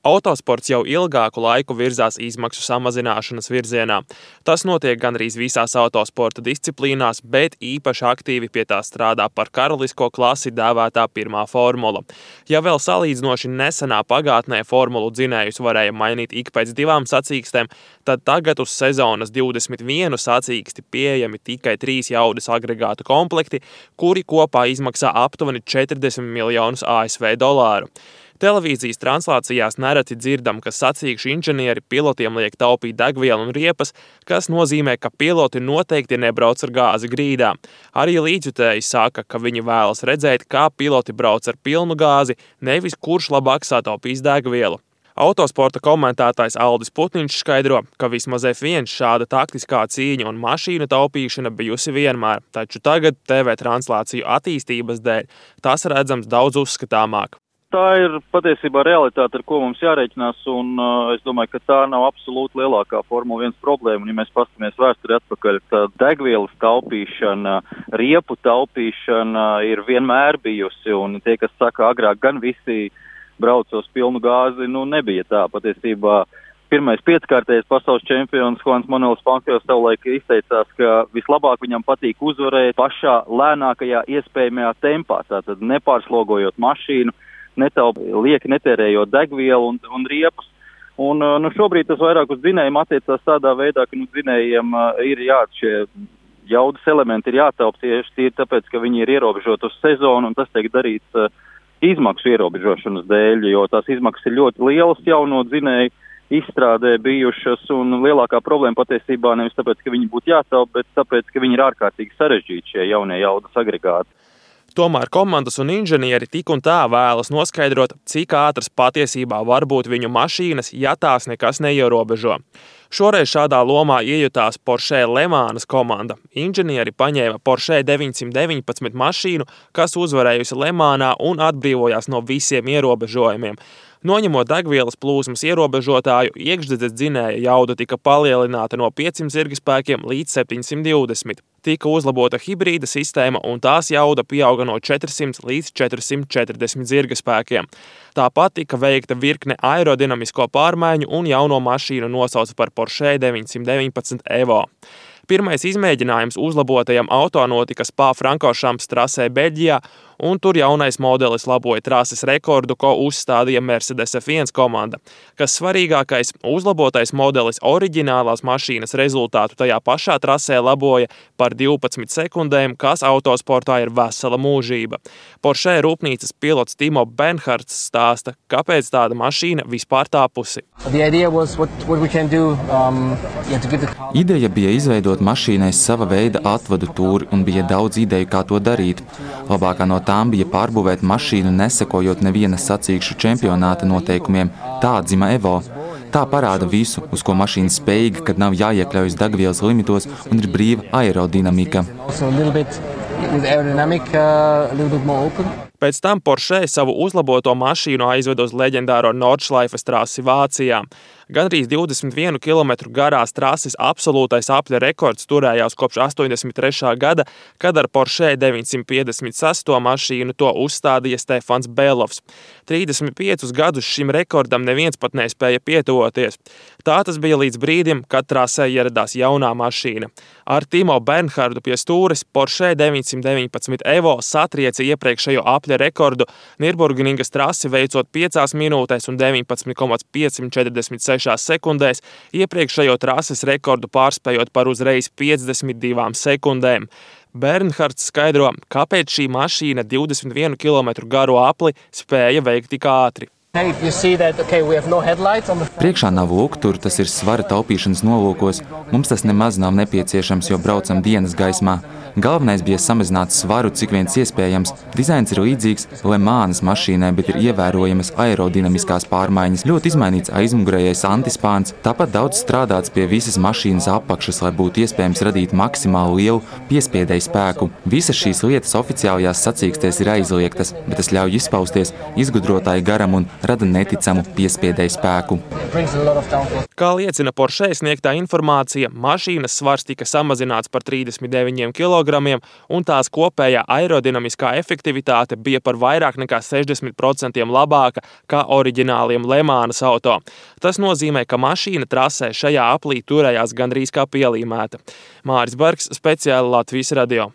Autosports jau ilgāku laiku virzās izmaksu samazināšanas virzienā. Tas notiek gandrīz visās autosporta disciplīnās, bet īpaši aktīvi pie tā strādā par karalisko klasi dēvētā pirmā formula. Ja vēl salīdzinoši nesenā pagātnē formulu dzinējus varēja mainīt ik pēc 2 sacīkstēm, tad tagad uz sezonas 21 sacīksti pieejami tikai 3 jaudas agregātu komplekti, kuri kopā izmaksā aptuveni 40 miljonus ASV dolāru. Televīzijas translācijās nereti dzirdam, ka sacīkšu inženieri pilotiem liek taupīt degvielu un riepas, kas nozīmē, ka piloti noteikti nebrauc ar gāzi grīdā. Arī līdzjutēji saka, ka viņi vēlas redzēt, kā piloti brauc ar pilnu gāzi, nevis kurš labāk sataupīs degvielu. Autosporta komentētājs Aldis Putniņš skaidro, ka vismaz F1 šāda taktiskā cīņa un mašīnu taupīšana bijusi vienmēr, taču tagad TV translāciju attīstības dēļ tas redzams daudz uzskatāmāk. Tā ir patiesībā realitāte, ar ko mums jārēķinās, un es domāju, ka tā nav absolūti lielākā Formula 1 problēma. Ja mēs paskatāmies vēsturi atpakaļ, tad degvielas taupīšana, riepu taupīšana ir vienmēr bijusi, un tie, kas saka, agrāk gan visi braucos pilnu gāzi, nebija tā. Patiesībā pirmais 5-kārtējais pasaules čempions Juans Manuels Fangio savulaik izteicās, ka vislabāk viņam patīk uzvarēt pašā lēnākajā iespējamajā tempā, tātad nepārslogojot mašīnu, lieki netērējot degvielu un riepas. Un šobrīd tas vairāk uz dzinējiem attiecās tādā veidā, ka dzinējiem ir šie jaudas elementi ir jātaup tieši tāpēc, ka viņi ir ierobežoti uz sezonu, un tas tiek darīts izmaksu ierobežošanas dēļ, jo tās izmaksas ir ļoti lielas jauno dzinēju izstrādē bijušas, un lielākā problēma patiesībā nevis tāpēc, ka viņi būtu jātaup, bet tāpēc, ka viņi ir ārkārtīgi sarežģīti šie jaunie jaudas agregāti. Tomēr komandas un inženieri tik un tā vēlas noskaidrot, cik ātras patiesībā var būt viņu mašīnas, ja tās nekas neierobežo. Šoreiz šādā lomā iejutās Porsche Le Mans komanda. Inženieri paņēma Porsche 919 mašīnu, kas uzvarējusi Le Mansā un atbrīvojās no visiem ierobežojumiem. Noņemot degvielas plūsmas ierobežotāju, iekšdedzes dzinēja jauda tika palielināta no 500 zirgspēkiem līdz 720. Tika uzlabota hibrīda sistēma un tās jauda pieauga no 400 līdz 440 zirgspēkiem. Tāpat tika veikta virkne aerodinamisko pārmaiņu un jauno mašīnu nosauca par Porsche 919 Evo. Pirmais izmēģinājums uzlabotajam auto notika Spa-Frankorchamps trasē Beļģijā, un tur jaunais modelis laboja trases rekordu, ko uzstādīja Mercedes F1 komanda. Kas svarīgākais, uzlabotais modelis oriģinālās mašīnas rezultātu tajā pašā trasē laboja par 12 sekundēm, kas autosportā ir vesela mūžība. Porsche rūpnīcas pilots Timo Bernhards stāsta, kāpēc tāda mašīna vispār tapusi. Ideja bija izveidot mašīnai sava veida atvadu tūri un bija daudz ideju, kā to darīt. Labākā no tām bija pārbūvēt mašīnu, nesakojot nevienas sacīkšu čempionāta noteikumiem. Tā dzima Evo. Tā parāda visu, uz ko mašīna spējīga, kad nav jāiekļaujas degvielas limitos un ir brīva aerodinamika. Pēc tam Porsche savu uzlaboto mašīnu aizved uz leģendāro Nordschleifes trasi Vācijā. Gandrīz 21 km garās trases absolūtais apļa rekords turējās kopš 83. gada, kad ar Porsche 956. mašīnu to uzstādīja Stefans Belovs. 35 gadus šim rekordam neviens pat nespēja pietuvoties. Tā tas bija līdz brīdim, kad trasē ieradās jaunā mašīna. Ar Timo Bernhardu pie stūres Porsche 919 Evo satrieca iepriekšējo apļa rekordu Nürburgringas trasi veicot 5 minūtēs un 19,546 sekundēs, iepriekšējo trases rekordu pārspējot par uzreiz 52 sekundēm. Bernhards skaidro, kāpēc šī mašīna 21 km garo apli spēja veikt tik ātri. Priekšā nav luktur, tas ir svara taupīšanas nolūkos. Mums tas nemaz nav nepieciešams, jo braucam dienas gaismā. Galvenais bija samazināt svaru, cik viens iespējams. Dizains ir līdzīgs Le Mans mašīnai, bet ir ievērojamas aerodinamiskās pārmaiņas. Ļoti izmainīts aizmugurējais antispāns, tāpat daudz strādāts pie visas mašīnas apakšas, lai būtu iespējams radīt maksimāli lielu piespiedēju spēku. Visas šīs lietas oficiālajās sacīkstēs ir aizliegtas, bet tas ļauj izpausties izgudrotāju garam un rada neticamu piespiedēju spēku. Kā liecina Porsche sniegtā informācija, mašīnas svars tika samazināts par 39 kg un tās kopējā aerodinamiskā efektivitāte bija par vairāk nekā 60% labāka kā oriģināliem Le Manas auto. Tas nozīmē, ka mašīna trasē šajā aplī turējās gandrīz kā pielīmēta. Māris Bergs, speciāli Latvijas radio.